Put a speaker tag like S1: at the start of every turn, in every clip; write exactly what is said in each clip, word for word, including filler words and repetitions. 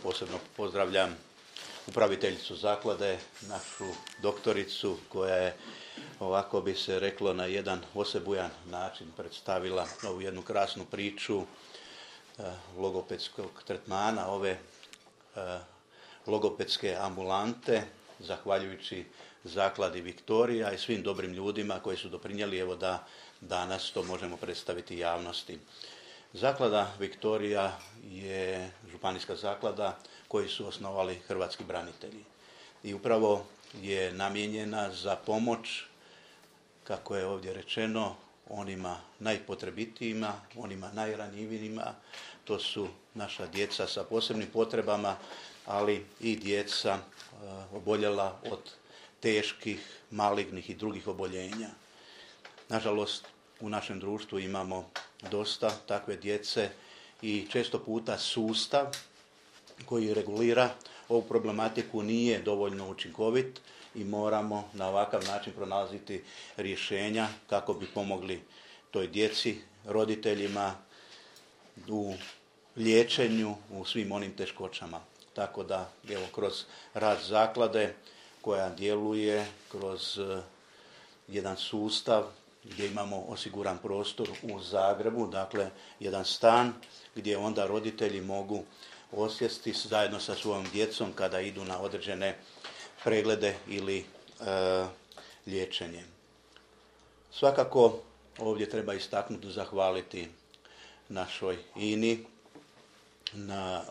S1: Posebno pozdravljam upraviteljicu zaklade, našu doktoricu koja je, ovako bi se reklo, na jedan osebujan način predstavila ovu jednu krasnu priču logopedskog tretmana, ove logopedske ambulante, zahvaljujući zakladi Viktorija i svim dobrim ljudima koji su doprinijeli evo da danas to možemo predstaviti javnosti. Zaklada Viktorija je županijska zaklada koju su osnovali hrvatski branitelji i upravo je namijenjena za pomoć, kako je ovdje rečeno, onima najpotrebitijima, onima najranjivijima. To su naša djeca sa posebnim potrebama, ali i djeca oboljela od teških, malignih i drugih oboljenja. Nažalost, u našem društvu imamo dosta takve djece i često puta sustav koji regulira ovu problematiku nije dovoljno učinkovit i moramo na ovakav način pronalaziti rješenja kako bi pomogli toj djeci, roditeljima u liječenju, u svim onim teškoćama. Tako da, evo, kroz rad zaklade koja djeluje kroz jedan sustav gdje imamo osiguran prostor u Zagrebu, dakle jedan stan gdje onda roditelji mogu osjesti zajedno sa svojom djecom kada idu na određene preglede ili e, liječenje. Svakako ovdje treba istaknuti, zahvaliti našoj I N I na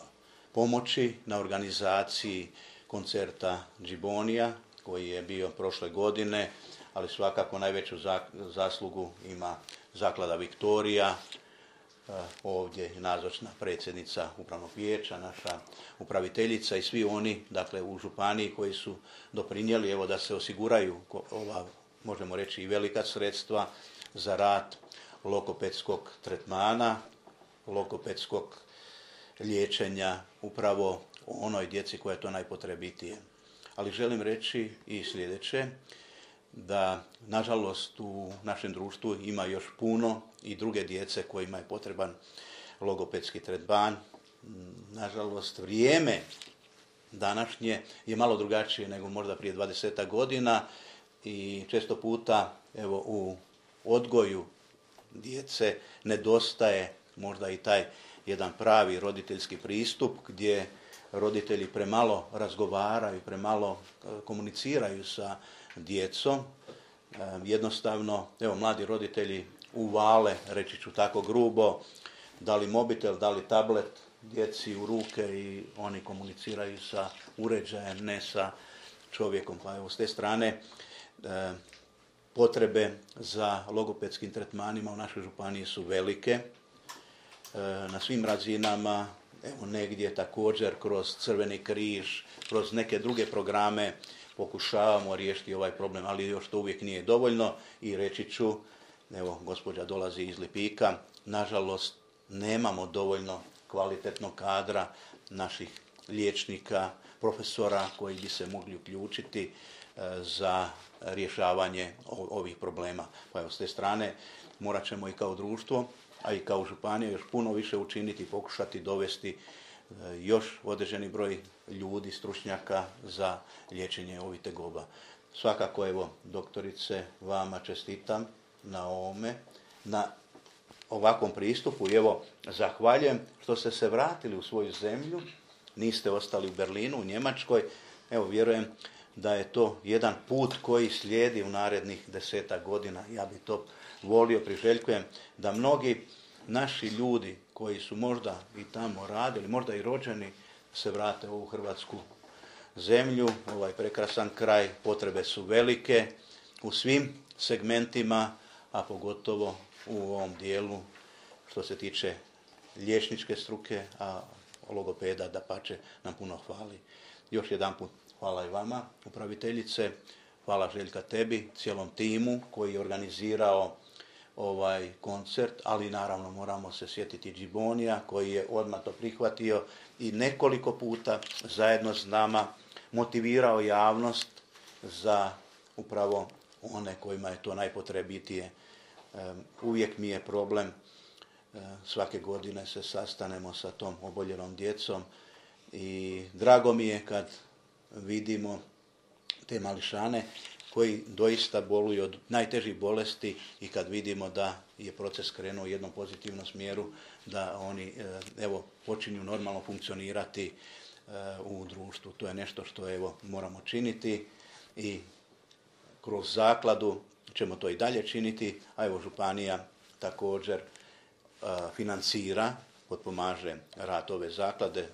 S1: pomoći, na organizaciji koncerta Džibonija koji je bio prošle godine, ali svakako najveću zaslugu ima zaklada Viktorija, ovdje je nazočna predsjednica upravnog vijeća, naša upraviteljica i svi oni, dakle, u županiji koji su doprinijeli evo da se osiguraju ova, možemo reći, i velika sredstva za rad logopedskog tretmana, logopedskog liječenja upravo onoj djeci koja je to najpotrebitije. Ali želim reći i sljedeće, da nažalost u našem društvu ima još puno i druge djece kojima je potreban logopedski tretman. Nažalost, vrijeme današnje je malo drugačije nego možda prije dvadesetak godina i često puta evo u odgoju djece nedostaje možda i taj jedan pravi roditeljski pristup gdje roditelji premalo razgovaraju, premalo komuniciraju sa djecom. Jednostavno, evo, mladi roditelji uvale, reći ću tako grubo, da li mobitel, da li tablet djeci u ruke i oni komuniciraju sa uređajem, ne sa čovjekom. Pa evo, s te strane potrebe za logopedskim tretmanima u našoj županiji su velike. Na svim razinama, evo, negdje također kroz Crveni križ, kroz neke druge programe pokušavamo riješiti ovaj problem, ali još to uvijek nije dovoljno i reći ću, evo, gospođa dolazi iz Lipika, nažalost nemamo dovoljno kvalitetnog kadra naših liječnika, profesora koji bi se mogli uključiti za rješavanje ovih problema. Pa evo, s te strane morat ćemo i kao društvo, a i kao županija još puno više učiniti i pokušati dovesti još određeni broj ljudi, stručnjaka za liječenje ovih tegoba. Svakako, evo, doktorice, vama čestitam na ovome, na ovakvom pristupu i evo, zahvaljujem što ste se vratili u svoju zemlju, niste ostali u Berlinu, u Njemačkoj. Evo, vjerujem da je to jedan put koji slijedi u narednih desetak godina. Ja bi to volio, priželjkujem da mnogi naši ljudi koji su možda i tamo radili, možda i rođeni, se vrate u ovu hrvatsku zemlju, ovaj prekrasan kraj. Potrebe su velike u svim segmentima, a pogotovo u ovom dijelu što se tiče liječničke struke, a logopeda dapače nam puno hvali. Još jedanput hvala i vama, upraviteljice, hvala Željka tebi, cijelom timu koji je organizirao ovaj koncert, ali naravno moramo se sjetiti Džibonija koji je odmah to prihvatio i nekoliko puta zajedno s nama motivirao javnost za upravo one kojima je to najpotrebitije. Uvijek mi je problem, svake godine se sastanemo sa tom oboljelom djecom i drago mi je kad vidimo te mališane koji doista boluju od najtežih bolesti i kad vidimo da je proces krenuo u jednom pozitivnom smjeru, da oni evo počinju normalno funkcionirati u društvu. To je nešto što evo moramo činiti i kroz zakladu ćemo to i dalje činiti, a evo županija također financira, potpomaže rad ove zaklade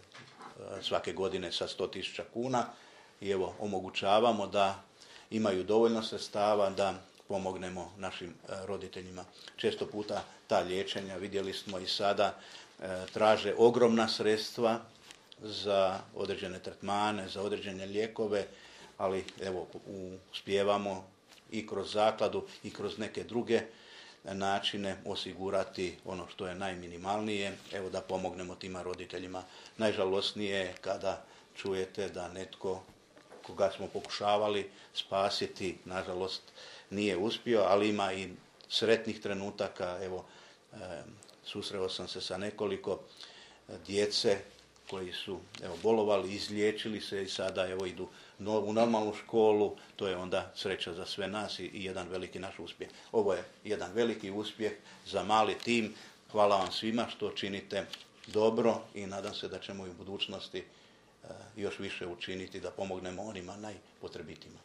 S1: svake godine sa sto tisuća kuna i evo omogućavamo da imaju dovoljno sredstava da pomognemo našim roditeljima. Često puta ta liječenja, vidjeli smo i sada, traže ogromna sredstva za određene tretmane, za određene lijekove, ali evo uspijevamo i kroz zakladu i kroz neke druge načine osigurati ono što je najminimalnije, evo da pomognemo tima roditeljima. Najžalosnije je kada čujete da netko koga smo pokušavali spasiti, nažalost nije uspio, ali ima i sretnih trenutaka. Evo, e, susreo sam se sa nekoliko djece koji su evo, bolovali, izliječili se i sada evo, idu u normalnu školu. To je onda sreća za sve nas i, i jedan veliki naš uspjeh. Ovo je jedan veliki uspjeh za mali tim. Hvala vam svima što činite dobro i nadam se da ćemo i u budućnosti još više učiniti da pomognemo onima najpotrebitijima.